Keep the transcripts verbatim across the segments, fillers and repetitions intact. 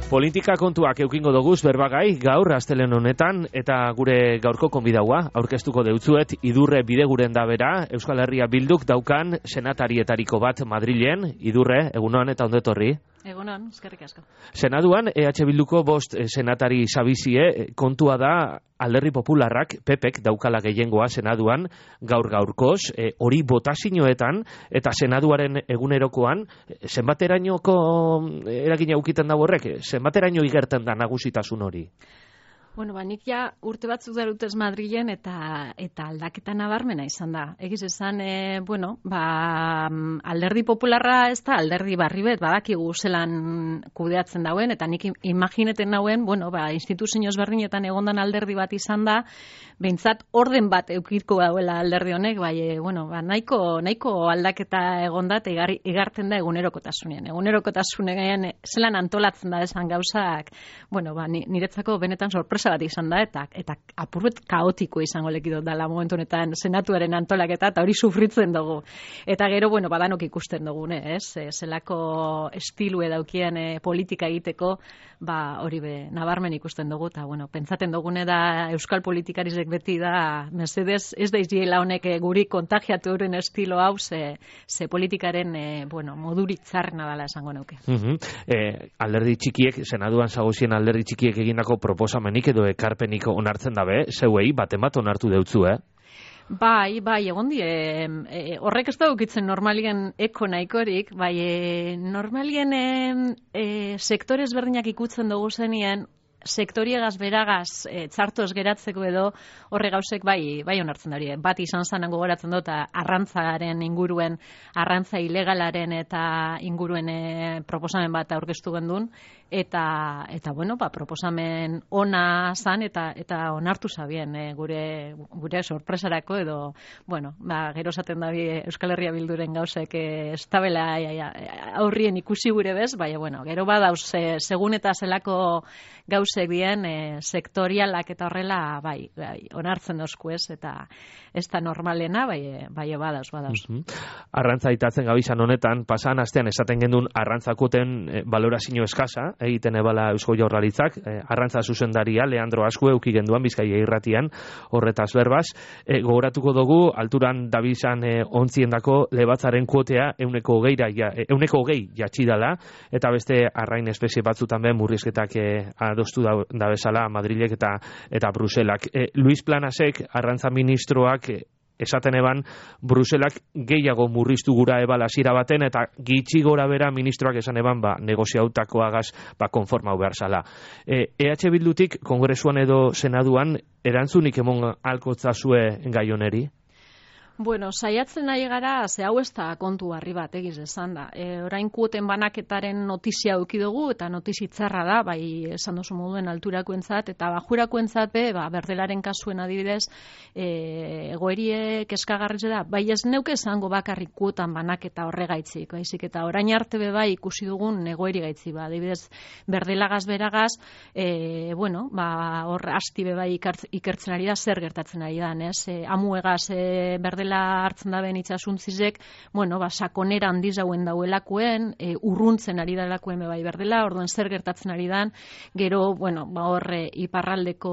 Politika kontuak eukingo doguz berbagai gaur astelehen honetan eta gure gaurko konbidaua aurkeztuko deutzuet Idurre Bideguren da bera Euskal Herria Bilduk daukan senatarietariko bat Madrilen. Idurre, egunon eta ondetorri. Egunon, eskerrik asko. Senaduan E H Bilduko bost senatari sabizie, kontua da Alderdi Popularrak P Pek daukala gehiengoa senaduan gaur gaurkoz, e, hori botazioetan eta senaduaren egunerokoan zenbaterainoko eragina ukiten dago horrek, zenbateraino igerten da nagusitasun hori? Bueno, ba, nik ja urte batzuk darutez Madrilen eta eta aldaketa nabarmena izan da. Egiz esan, e, bueno, ba, Alderdi Popularra ez da alderdi barri bet, badakigu zelan kudeatzen dauen, eta nik imagineten dauen, bueno, ba, instituzio ezberdinetan egondan alderdi bat izan da, behintzat orden bat eukiko dauela alderdi honek, bai, e, bueno, ba, nahiko, nahiko aldaketa egonda eta igar, igartzen da egunerokotasunean. Egunerokotasunean zelan antolatzen da esan gauzak, bueno, ba, niretzako benetan sorpresa bat izan da, eta eta apurbet kaotiko izango lekidot dela momentu honetan senatuaren antolaketa, eta hori sufritzen dugu. Eta gero, bueno, badanok ikusten dugune, ez? E, zelako estilue daukien e, politika egiteko, ba, hori be, nabarmen ikusten dugu, eta, bueno, pentsaten dugune da Euskal politikarizek beti da, mesedez, ez da izdiela honek e, guri kontagiatu euren estilo hau, ze, ze politikaren, e, bueno, moduritzarna dela esango neuke. Uh-huh. e, alderdi txikiek, senaduan zagozien alderdi txikiek egindako proposamenik edo ekarpenik onartzen dabe, zeuei baten bat onartu deutzu, eh? Bai, bai, egon die, e, horrek ez da ukitzen normalien eko nahikorik, bai, e, normalien e, sektore ezberdinak ikutzen dugu zenien, sektoriegaz beragaz e, txartoz geratzeko edo horre gauzek bai, bai onartzen dari. Bat izan zanen gogoratzen dut, arrantzaren inguruen, arrantza ilegalaren eta inguruen e, proposamen bat aurkeztu gendun, eta, eta bueno, ba, proposamen ona zan eta eta onartu zabien e, gure, gure sorpresarako edo, bueno, ba, gero esaten da Euskal Herria Bilduren gauzek e, ez tabela aurrien ikusi gure bez, bai, bueno, gero badauz, e, segun eta zelako gauzek bien e, sektorialak eta horrela, bai, bai, onartzen dozku ez, eta ez da normalena, bai, bai, badauz, badauz. Uh-huh. Arrantza itatzen gabizan honetan, pasan astean esaten gendun arrantzakoten e, balorazio eskasa, egiten ebala Eusko Jaurlaritzak, e, arrantza zuzendaria, Leandro Azkue, euki genduan, Bizkaia irratian, horretaz berbaz, e, gogoratuko dugu, alturan dabizan e, ontziendako lebatzaren kuotea euneko geira, ja, e, euneko gei jatxidala, eta beste arrain espezie batzutan be murrizketak e, adostu da, da bezala Madrilek eta, eta Bruselak. E, Luis Planasek, arrantza ministroak, e, esaten eban, Bruselak gehiago murriztu gura ebala zira baten, eta gitxi gora bera ministroak esan eban, ba, negoziautakoagaz, ba, konformau behar zala. E, E H Bildutik, kongresuan edo senaduan, erantzunik emon alkotzazue gai honeri? Bueno, saiatzen nahi gara, ze hau ez da kontu harri bat, egiz esan da. E, orain kuoten banaketaren notizia eduki dugu, eta notizitzarra da, bai esan dozu moduen alturakoentzat, eta bajurakoentzat be, ba, berdelaren kasuen adibidez, e, egoerie keskagarritze da, bai ez neuke esango bakarrik kuotan banaketa horregaitzik, baizik, eta orain arte be bai ikusi dugun egoeri gaitzi, ba, adibidez, berdelagaz beragaz, e, bueno, ba, hor asti be bai ikertzen ari da, zer gertatzen ari da, ez? E, amuegaz e, berdela hartzen da ben itxasuntzizek, bueno, ba, sakonera handiz hauen dauelakuen, e, urruntzen ari dalakuen bai berdela, orduan zer gertatzen ari dan, gero, bueno, ba, horre iparraldeko,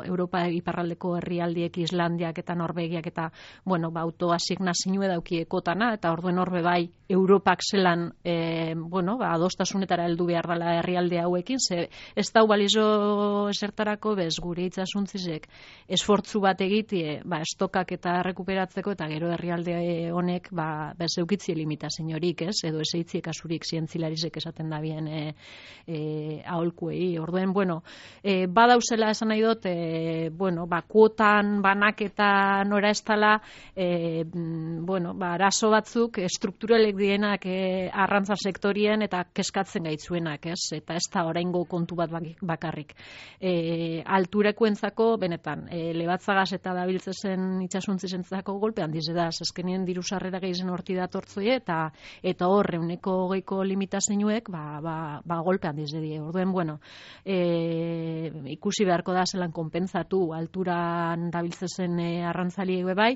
Europa iparraldeko herrialdiek, Islandiak eta Norvegiak eta, bueno, ba, autoasignazioa daukiekotana, eta orduen horbe bai, Europak zelan, e, bueno, ba, adostasunetara heldu behar dela herrialde hauekin, ze ez dau balizo esertarako bez gure itxasuntzizek esfortzu bat egitie, ba, estokak eta rekuperatzen eta gero herrialde honek ba bez eukitzi limitazio horik, ez? Edo ez eitzi kasurik zientzilarisek esaten da bien e, e, aholkuei. Orduen, bueno, e, badauzela esan nahi dut, e, bueno, ba kuotan banaketa nora ez dela, e, bueno, ba arazo batzuk estrukturalek dienak e, arrantza sektorien eta keskatzen gaitzuenak, ez? Eta ez da oraingo kontu bat bakarrik. E, alturakoentzako benetan, e, lebatzagaz eta dabiltzezen itxasuntzizentzako golpe handiz da, azkenien diru sarrera gehizen horti datortzoie, eta eta hor, euneko hogeiko limitazioek, ba, ba, ba golpe handiz die. Orduen, bueno, e, ikusi beharko da zelan konpentsatu alturan dabiltzezen e, arrantzaliek bai,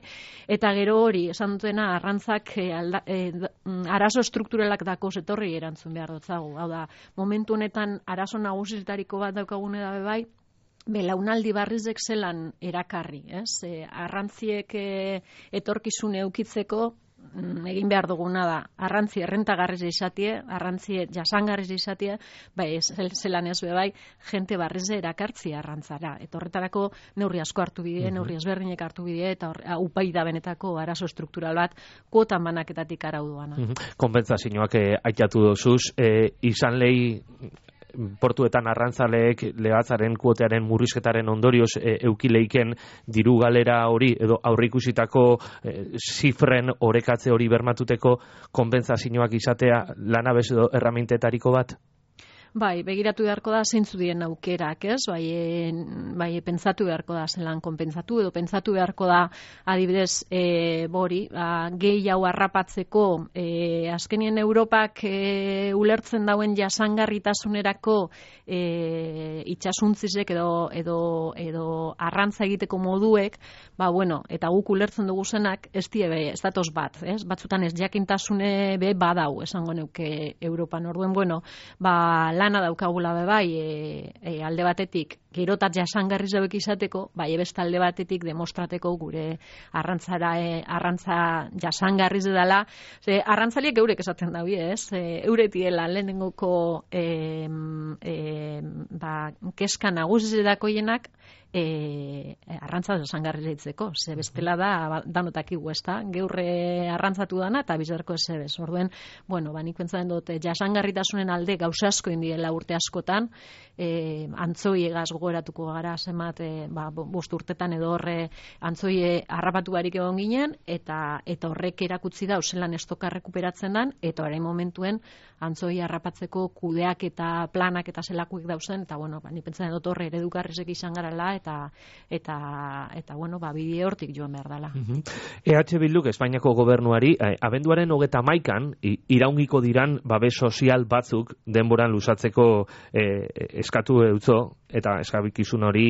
eta gero hori, esan dutena, arrantzak e, alda, e, arazo strukturalak dako zetorri erantzun behar dutzagu. Hau da, momentu honetan arazo nagusitariko bat daukagune dabe bai, belaunaldi barrizek zelan erakarri, ez? E, arrantziek e, etorkizune eukitzeko egin behar duguna da, arrantzi errentagarriz izatie, arrantzi jasangarriz izatie, bai, zelan ez bai, jente barrize erakartzi arrantzara. Eta horretarako neurri asko hartu bide, mm-hmm. neurri ezberdinek hartu bide, eta upai da benetako arazo struktural bat, kuotan banaketatik arauduana. Mm-hmm. Konpentsazioak eh, aitatu dozuz, eh, izan lehi portuetan arrantzaleek legatzaren kuotearen murrizketaren ondorioz e, eukileiken diru galera hori edo aurreikusitako e, zifren orekatze hori bermatuteko konpentsazioak izatea lanabez edo erramintetariko bat? Bai, begiratu beharko da zeintzu diren aukerak, ez? Bai, e, bai, pentsatu beharko da zelan konpentsatu edo pentsatu beharko da adibidez e, bori, ba, gehi hau harrapatzeko e, azkenien Europak e, ulertzen dauen jasangarritasunerako e, itxasuntzizek edo, edo, edo arrantza egiteko moduek, ba, bueno, eta guk ulertzen dugu zenak, ez die be, ez datoz bat, ez? Batzutan ez jakintasune be badau, esango neuke Europan. Orduen, bueno, ba, lana daukagula be bai, e, e, alde batetik, gerotat jasangarri zebek izateko, bai, ebest alde batetik demostrateko gure arrantzara, e, arrantza jasangarriz edala. Ze, arrantzaliek eurek esaten dabi, ez? E, euretiela lehenengoko e, e, ba, keska nagusizetako jenak, E, arrantza jasangarri zeitzeko, ze bestela da danotak igu, ez da, geurre arrantzatu dana eta bizarko ez ebez. Orduen, bueno, ba, nik pentsatzen dut, jasangarritasunen alde gauza asko indiela urte askotan, e, antzoi egaz gogoratuko gara zemat, e, ba, bost urtetan edo horre antzoi harrapatu barik egon ginen, eta eta horrek erakutsi da, zelan estoka rekuperatzen dan, eta orain momentuen antzoi harrapatzeko kudeak eta planak eta zelakuik dauzen, eta bueno, ba, nik pentsatzen dut horre eredukarrizek izan garala, eta eta eta bueno, ba bide hortik joan behar dela. Uh-huh. E H Bilduk Espainiako gobernuari eh, abenduaren hogeita hamaikan iraungiko diran babes sozial batzuk denboran luzatzeko eh, eskatu eutzo, eta eskabikizun hori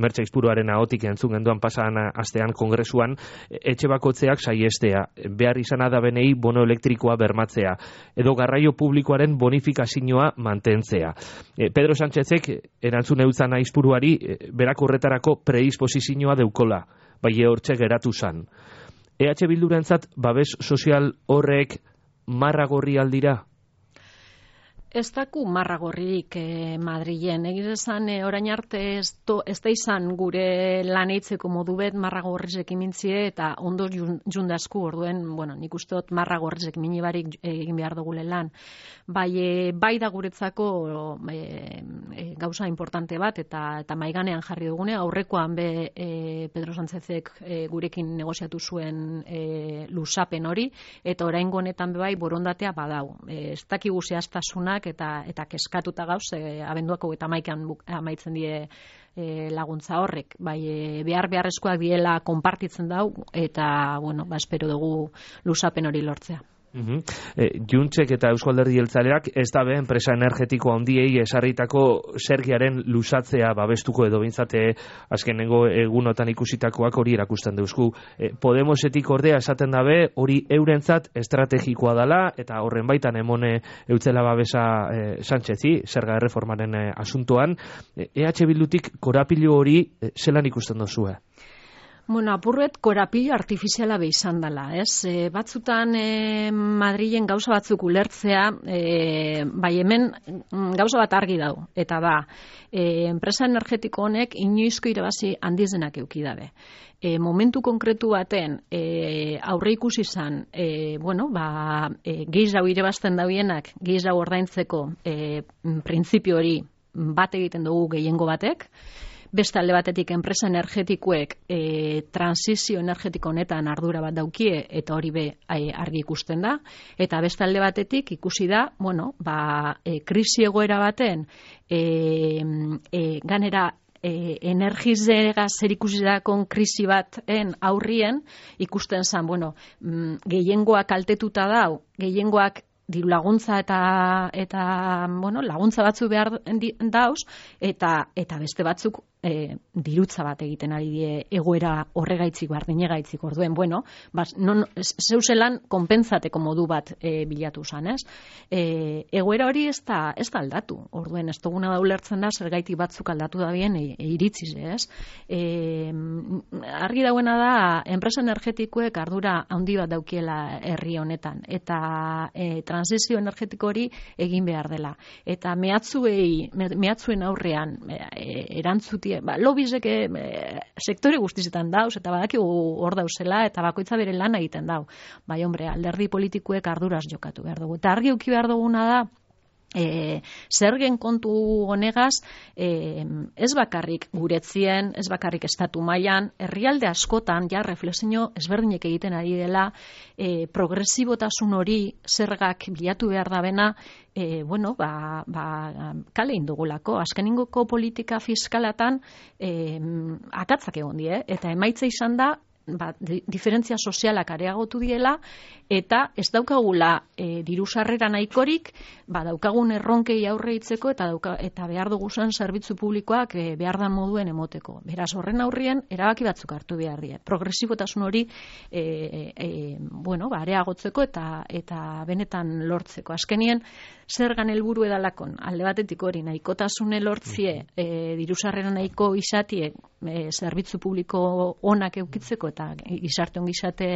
Mertxe Aizpuruaren ahotik entzun genduan pasan astean kongresuan, etxe bakotzeak saiestea, behar izana da benei bono elektrikoa bermatzea, edo garraio publikoaren bonifikazioa mantentzea. Eh, Pedro Sánchezek erantzun eutzan Aizpuruari eh, berak horretarako predisposizioa deukola, bai hortxe geratu zan. E H Bildurentzat babes sozial horrek marragorri aldira? Ez daku marragorririk eh, Madrilen. Egiz esan, eh, orain arte ez, to, ez da izan gure laneitzeko modu bet marragorrizek imintzie eta ondo jundazku orduen, bueno, nik uste dut marragorrizek minibarik egin behar dugule lan. Bai, e, bai da guretzako e, e, gauza importante bat eta eta maiganean jarri dugune, aurrekoan be e, Pedro Sánchezek e, gurekin negoziatu zuen e, luzapen hori, eta oraingo honetan be bai borondatea badau. E, ez dakigu zehaztasunak eta eta keskatuta gauz, e, abenduako eta amaikan amaitzen die e, laguntza horrek. Bai, e, behar beharrezkoak diela konpartitzen dau, eta, bueno, ba, espero dugu luzapen hori lortzea. Uh-huh. E, Juntzek eta Eusko Alderdi Jeltzaleak ez da be enpresa energetiko handiei esarritako zergiaren luzatzea babestuko edo bintzate azkenengo egunotan ikusitakoak hori erakusten deuzku. E, Podemosetik ordea esaten dabe hori eurentzat estrategikoa dela eta horren baitan emone eutzela babesa e, Sánchezi, zerga erreformaren e, asuntoan. E H Bildutik korapilo hori e, zelan ikusten dozue? Bueno, apurret korapilo artifiziala be izan dela, ez? E, batzutan e, Madrilen gauza batzuk ulertzea, e, bai hemen gauza bat argi dau, eta da, e, enpresa energetiko honek inoizko irabazi handizenak euki dabe. E, momentu konkretu baten e, aurre ikusi izan, e, bueno, ba, e, gehiago irabazten dauienak, gehiago ordaintzeko e, printzipio hori bat egiten dugu gehiengo batek, beste alde batetik enpresa energetikoek e, transizio energetiko honetan ardura bat daukie eta hori be e, argi ikusten da, eta beste alde batetik ikusi da, bueno, ba, e, krisi egoera baten e, e, ganera e, energizera zerikusitako krisi baten aurrien, ikusten zen, bueno, mm, gehiengoak kaltetuta dau, gehiengoak diru laguntza eta eta bueno, laguntza batzu behar dauz eta eta beste batzuk e, dirutza bat egiten ari die egoera horregaitzik bardinegaitzik orduen bueno, bas, non zeuselan konpentsateko modu bat e, bilatu zan, ez? E, egoera hori ez da ez da aldatu. Orduen ez duguna da ulertzen da zergaitik batzuk aldatu da bien e, e, iritziz, ez? E, argi dauena da enpresa energetikoek ardura handi bat daukiela herri honetan eta e, transizio energetiko hori egin behar dela. Eta mehatzuei, mehatzuen aurrean e, erantzuti, ba, lobizek e, sektore guztizetan dauz, eta badakigu hor dauzela, eta bakoitza bere lan egiten dau. Bai, hombre, alderdi politikuek arduraz jokatu behar dugu. Eta argi uki behar duguna da, E, zergen kontu honegaz e, ez bakarrik guretzien, ez bakarrik estatu mailan, herrialde askotan ja reflexio ezberdinek egiten ari dela e, progresibotasun hori zergak bilatu behar da bena e, bueno, ba, ba, kale indugulako. Azkeningoko politika fiskalatan e, akatzak egon die, eta emaitza izan da ba, diferentzia sozialak areagotu diela eta ez daukagula e, diru sarrera nahikorik, ba, daukagun erronkei aurre itzeko eta, dauka, eta behar duguzen zerbitzu publikoak e, behar dan moduen emoteko. Beraz, horren aurrien erabaki batzuk hartu behar die. Progresibotasun hori e, e, bueno, ba, areagotzeko eta, eta benetan lortzeko. Azkenien, zergan helburu edalakon, alde batetik hori nahikotasune lortzie, e, diru sarrera nahiko izatie, e, zerbitzu publiko onak eukitzeko eta gizarte ongizate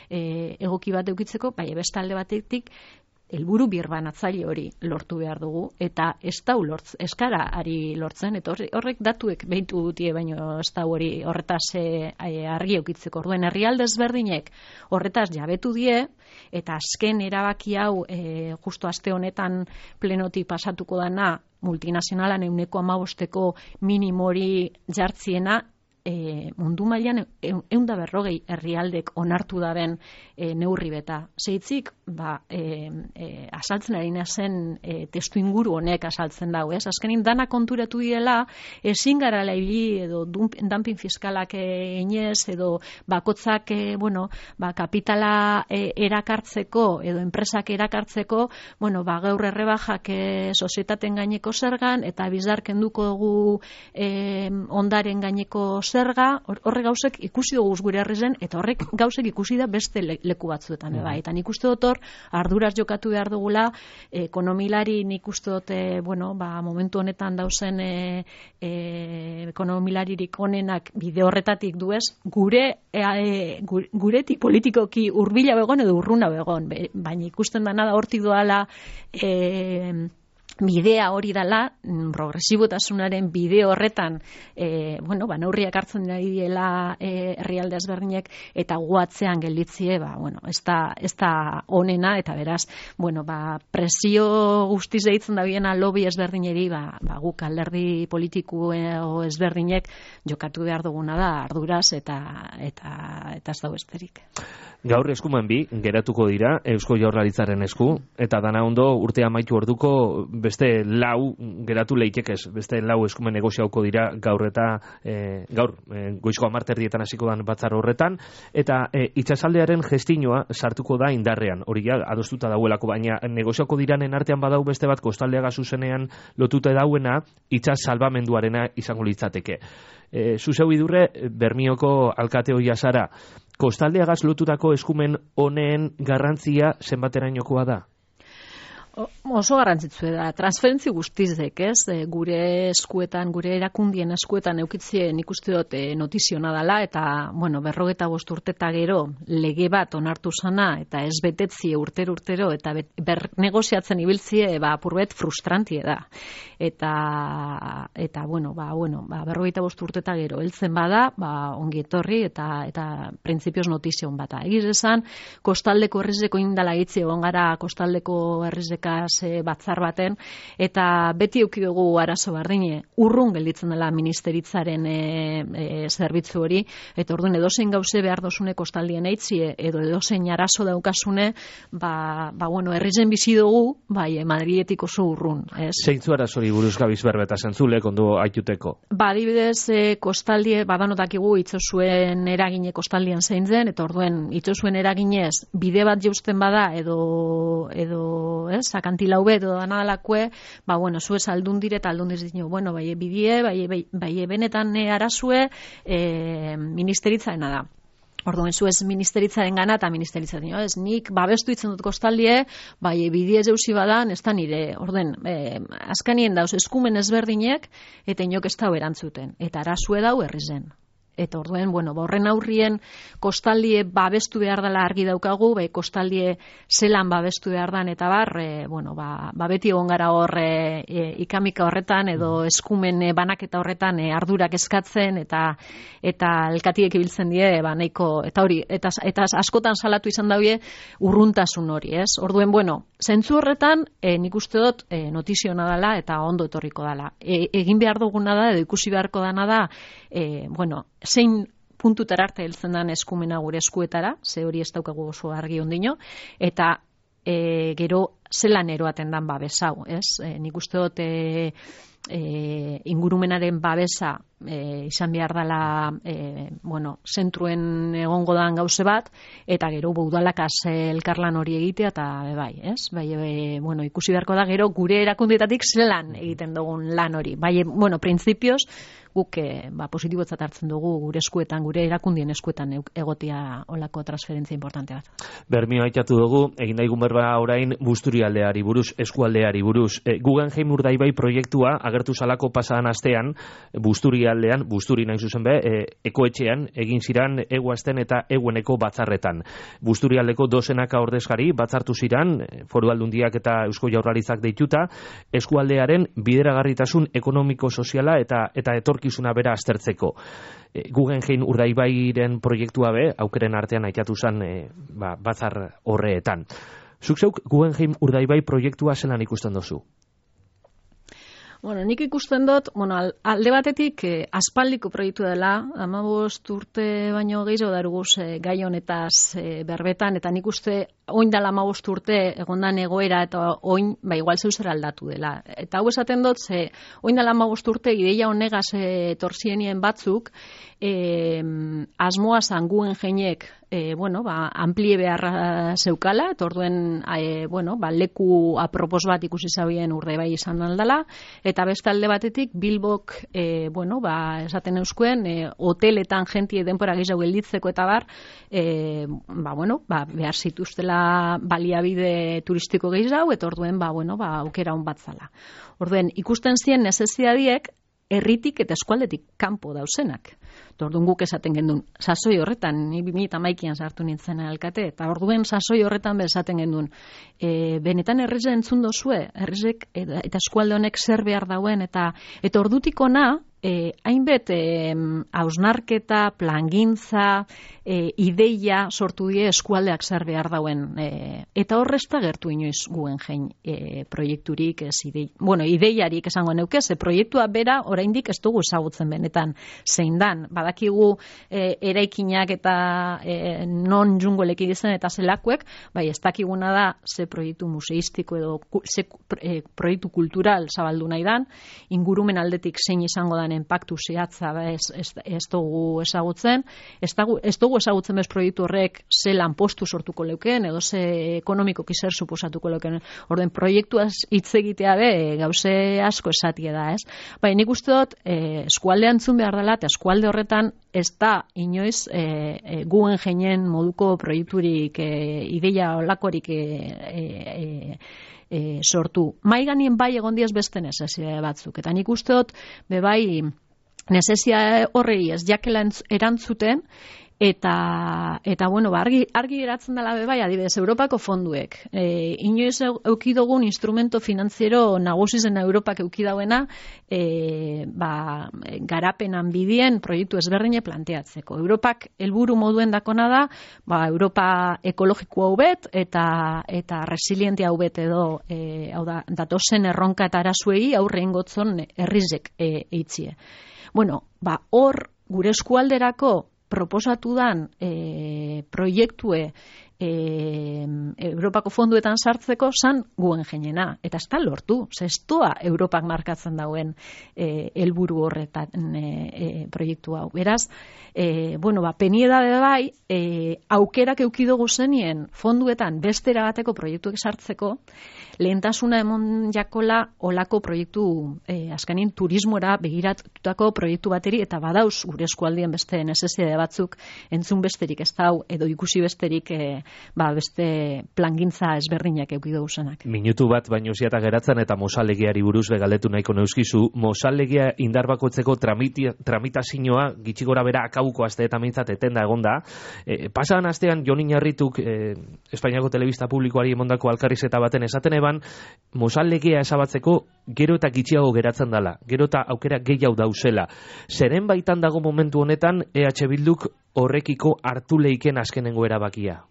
e, egoki bat eukitzeko, bai beste alde batetik helburu birbanatzaile hori lortu behar dugu eta ez da lortz, eskara ari lortzen, eta horrek datuek behitu dutie baino ez da hori horretaz e, argi eukitzeko. Orduen herrialde ezberdinek horretaz jabetu die eta azken erabaki hau e, justo aste honetan plenotik pasatuko dana multinazionalan ehuneko hamabosteko minimori jartziena E, mundu mailan ehun da berrogei herrialdek onartu daben e, neurri beta. Zeitzik, ba, e, e, asaltzen ari zen e, testu inguru honek asaltzen dau, ez? Azkenin dana konturatu direla, ezin garala ibili edo dumping fiskalak einez edo bakotzak e, bueno, ba, kapitala e, erakartzeko edo enpresak erakartzeko, bueno, ba, gaur errebajak e, sozietaten gaineko zergan eta bizar kenduko dugu e, ondaren gaineko zerga, horre gauzek ikusi dugu gure herrizen, eta horrek gauzek ikusi da beste leku batzuetan. Mm. Bai. Eta nik uste dut hor, arduraz jokatu behar dugula, ekonomilari nik uste dut, e, bueno, ba, momentu honetan dauzen e, e, ekonomilaririk onenak bide horretatik duez, gure, e, guretik politikoki urbila begon edo urruna begon, baina ikusten dana da hortik doala e, bidea hori dela, progresibotasunaren bide horretan e, bueno, ba, neurriak hartzen ari diela e, herrialde ezberdinek eta guatzean gelditzie, ba, bueno, ez da, ez da onena, eta beraz, bueno, ba, presio guztiz deitzen da biena lobby ezberdineri, ba, ba, guk alderdi politiku o ezberdinek jokatu behar duguna da arduraz eta eta eta ez da besterik. Gaur eskumen bi geratuko dira Eusko Jaurlaritzaren esku, eta dana ondo urtea amaitu orduko beste lau geratu leitekez, beste lau eskumen negoziauko dira gaur eta e, gaur e, goizko hamarterdietan hasiko dan batzar horretan, eta e, itsasaldearen gestinoa sartuko da indarrean, hori ja adostuta dauelako, baina negoziauko diranen artean badau beste bat kostaldeaga zuzenean lotuta dauena itsas salbamenduarena izango litzateke. E, zuzeu idurre, Bermioko alkate hoia zara, kostaldeagaz lotutako eskumen honen garrantzia zenbaterainokoa da? O, oso garrantzitsua da, transferentzi guztizek, ez? E, gure eskuetan, gure erakundien eskuetan eukitzien ikuste dut e, notiziona dela, eta, bueno, berrogeta bost urteta gero lege bat onartu zana, eta ez betetzie urtero urtero, eta bet, ber negoziatzen ibiltzie, ba, apurbet frustrantie da. Eta, eta bueno, ba, bueno, ba, berrogeta bost urteta gero, heltzen bada, ba, ongi etorri, eta, eta printzipioz notizion bata. Egiz esan, kostaldeko herrizeko indala hitzi egon gara, kostaldeko herrizek horrekaz e, batzar baten, eta beti eduki dugu arazo bardine, urrun gelditzen dela ministeritzaren e, e, zerbitzu hori, eta orduan edozein gauze behar dosune kostaldien eitzie, edo edozein arazo daukasune, ba, ba bueno, herrizen bizi dugu, bai, e, Madridetik oso urrun, ez? Zeintzu arazori buruz gabiz berbeta zentzule, kondo aituteko? Ba, adibidez, e, kostaldie, badanotakigu itzosuen eragine kostaldien zein zen, eta orduen itzosuen eraginez bide bat jeusten bada edo edo, ez, akantilau bet edo danadalakue, ba bueno, zuez aldundire eta aldundiz dino, bueno, bai bidie, bai bai, bai benetan e, arazue e, ministeritzaena da. Orduan, zuez ministeritzaren gana eta ministeritzaren, jo, ez, nik babestu itzen dut kostaldie, bai, bidie zeusi badan, ez da nire, orden, e, azkanien dauz, eskumen ezberdinek, eta inok ez dau erantzuten, eta arazue dau herrizen. Eta orduen, bueno, horren aurrien kostaldie babestu behar dela argi daukagu, bai, kostaldie zelan babestu behar dan, eta bar, e, bueno, ba, ba beti egon gara hor e, e, ikamika horretan, edo eskumen e, banaketa horretan e, ardurak eskatzen, eta eta elkatiek ibiltzen die, ba, nahiko, eta hori, eta, eta askotan salatu izan daue urruntasun hori, ez? Orduen, bueno, zentzu horretan, e, nik uste dut e, notiziona dela, eta ondo etorriko dela. E, egin behar duguna da, edo ikusi beharko dana da, e, bueno, zein puntutara arte heltzen den eskumena gure eskuetara, ze hori ez daukagu oso argi ondino, eta e, gero zelan eroaten dan babesau, ez? E, nik uste dut e, e, ingurumenaren babesa e, izan behar dela e, bueno, zentruen egongo dan gauze bat, eta gero udalakaz elkarlan hori egitea, eta bai, ez? Bai, e, bueno, ikusi beharko da gero gure erakundeetatik zelan egiten dugun lan hori. Bai, bueno, printzipioz, guk e, ba, positibotzat hartzen dugu gure eskuetan, gure erakundien eskuetan egotia olako transferentzia importante bat. Bermio aitatu dugu, egin daigun berba orain Busturialdeari buruz, eskualdeari buruz. E, Guggenheim Urdaibai proiektua agertu salako pasadan astean, Busturialdean, Busturi nahi zuzen be, e, ekoetxean, egin ziran eguazten eta egueneko batzarretan. Busturialdeko dozenaka ordezkari batzartu ziran, Foru Aldundiak eta Eusko Jaurlaritzak deituta, eskualdearen bideragarritasun ekonomiko-soziala eta eta etorkizuna bera aztertzeko. E, Guggenheim Urdaibairen proiektua be, aukeren artean aitatu zen e, ba, batzar horreetan. Zuk zeuk Guggenheim Urdaibai proiektua zelan ikusten dozu? Bueno, nik ikusten dut, bueno, alde batetik eh, aspaldiko proiektu dela, hamabost urte baino gehiago daruguz eh, gai honetaz eh, berbetan, eta nik uste oin dela hamabost urte egondan egoera, eta oin, ba, igual zeuzera aldatu dela. Eta hau esaten dut, ze, oin dela hamabost urte ideia honegaz eh, torzienien batzuk, eh, asmoa zan Guggenheimek E, bueno, ba, amplie beharra zeukala, eta orduen e, bueno, ba, leku apropos bat ikusi zabien Urdaibai izan aldala, eta beste alde batetik Bilbok e, bueno, ba, esaten euskuen e, hoteletan jentie denpora gehiago gelditzeko eta bar e, ba, bueno, ba, behar zituztela baliabide turistiko gehiago, eta orduen ba, bueno, ba, aukera hon bat zala. Orduen ikusten zien nezeziadiek herritik eta eskualdetik kanpo dauzenak. Orduan guk esaten gendun, sasoi horretan, ni bi mila hamaikaan sartu nintzen alkate, eta orduen sasoi horretan be esaten gendun, e, benetan herrize entzun dozue, herrizek eta, eta eskualde honek zer behar dauen, eta eta ordutik ona, e, hainbet e, hausnarketa, plangintza, e, ideia sortu die eskualdeak zer behar dauen, e, eta horrezta gertu inoiz Guggenheim e, proiekturik, ez idei, bueno, ideiarik esango neuke, ze proiektua bera oraindik ez dugu ezagutzen benetan zein dan, badakigu e, eraikinak eta e, non jungoleki dizen eta zelakuek, bai ez dakiguna da ze proiektu museistiko edo ze e, proiektu kultural zabaldu nahi dan, ingurumen aldetik zein izango dan enpaktu zehatza ez, ez, ez dugu ezagutzen, ez, dagu, ez dugu ezagutzen bez proiektu horrek ze lanpostu sortuko leukeen, edo ze ekonomikoki zer suposatuko leukeen. Orden proiektuaz hitz egitea be gauze asko esatie da, ez? Bai, nik uste dut e, eskualde antzun behar dela, eta eskualde horretan ez da inoiz e, e, Guggenheim moduko proiekturik e, ideia olakorik e, e, e, sortu. Maiganien bai egon diez beste nezesia batzuk, eta nik uste dut be bai nezesia horrei ez jakela erantzuten, Eta, eta bueno, ba, argi, argi geratzen dela bebai, adibidez, Europako fonduek. E, inoiz eukidogun instrumento finanziero nagusizen Europak eukidauena e, ba, garapenan bidien proiektu ezberdine planteatzeko. Europak helburu moduen dakona da, ba, Europa ekologiko hau bet eta, eta resiliente hau bet edo e, hau da, datozen erronka eta arazuei aurre ingotzon herrizek e, eitzie. Bueno, ba, hor gure eskualderako proposatu dan e, proiektue e, Europako fonduetan sartzeko zan guen jenena. Eta ez da lortu, zestoa Europak markatzen dauen e, helburu horretan e, e, proiektu hau. Beraz, e, bueno, ba, peniedade bai, e, aukerak eukidogu zenien fonduetan bestera bateko proiektuek sartzeko, lehentasuna emon jakola olako proiektu, e, azkenin turismora begiratutako proiektu bateri, eta badauz gure eskualdien beste neseside batzuk entzun besterik ez dau, edo ikusi besterik e, ba, beste plangintza ezberdinak eukidu zenak. Minutu bat baino ziata geratzen eta mozalegiari buruz begaletu nahiko neuskizu. Mozalegia indarbakotzeko tramitazioa gitxi gora bera akauko aste eta mintzat etenda egonda. E, pasadan astean Jon Iñarrituk e, Espainiako telebista publikoari emondako alkarrizeta baten esaten eban, mozalegia esabatzeko gero eta gitxiago geratzen dela, gero eta aukera gehiago dauzela. Zeren baitan dago momentu honetan E H Bilduk horrekiko hartu leiken azkenengo erabakia?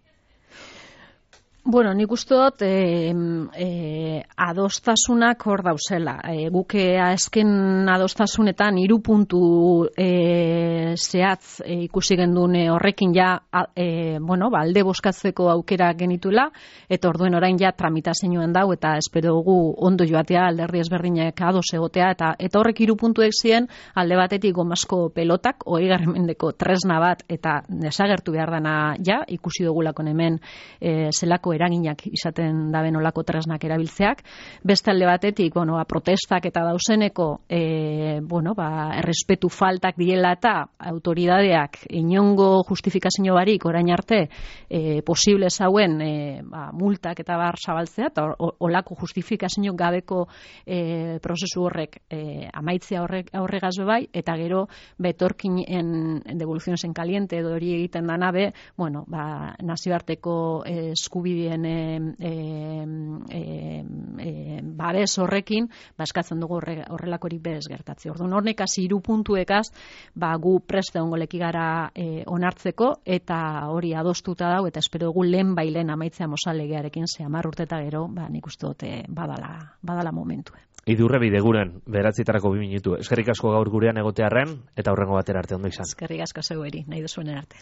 Bueno, nik uste dut e, e, adostasunak hor dauzela. E, guke azken adostasunetan hiru puntu e, zehatz e, ikusi gendune horrekin ja e, bueno, ba, alde boskatzeko aukera genituela, eta orduen orain ja tramitazioan dau, eta espero dugu ondo joatea alderdi ezberdinek ados egotea, eta eta horrek hiru puntuek ziren alde batetik gomasko pelotak, hogeigarren mendeko tresna bat, eta desagertu behar dana ja, ikusi dugulako hemen e, zelako eraginak izaten daben olako tresnak erabiltzeak. Beste alde batetik, bueno, ba, protestak eta dauseneko e, bueno, ba, errespetu faltak diela eta autoridadeak inongo justifikazio barik orain arte e, posible zauen e, ba, multak eta bar zabaltzea, eta olako justifikazio gabeko e, prozesu horrek e, amaitzea horrek aurregaz bai, eta gero betorkinen devoluciones en caliente edo hori egiten dana be, bueno, ba, nazioarteko e, eskubideen e, e, e, e, babes horrekin, ba, eskatzen dugu horre, horrelakorik bez gertatzi. Orduan, hornek hasi hiru puntuekaz, ba, gu preste ongoleki gara e, onartzeko, eta hori adostuta dau, eta espero dugu lehen bailen amaitzea mozalegearekin, ze hamar urte eta gero, ba, nik uste dute badala, badala momentu. Idurre bideguren, beratzitarako bi minutu. Eskerrik asko gaur gurean egotearren, eta hurrengo batera arte ondo izan. Eskerrik asko zeueri, nahi duzuen arte.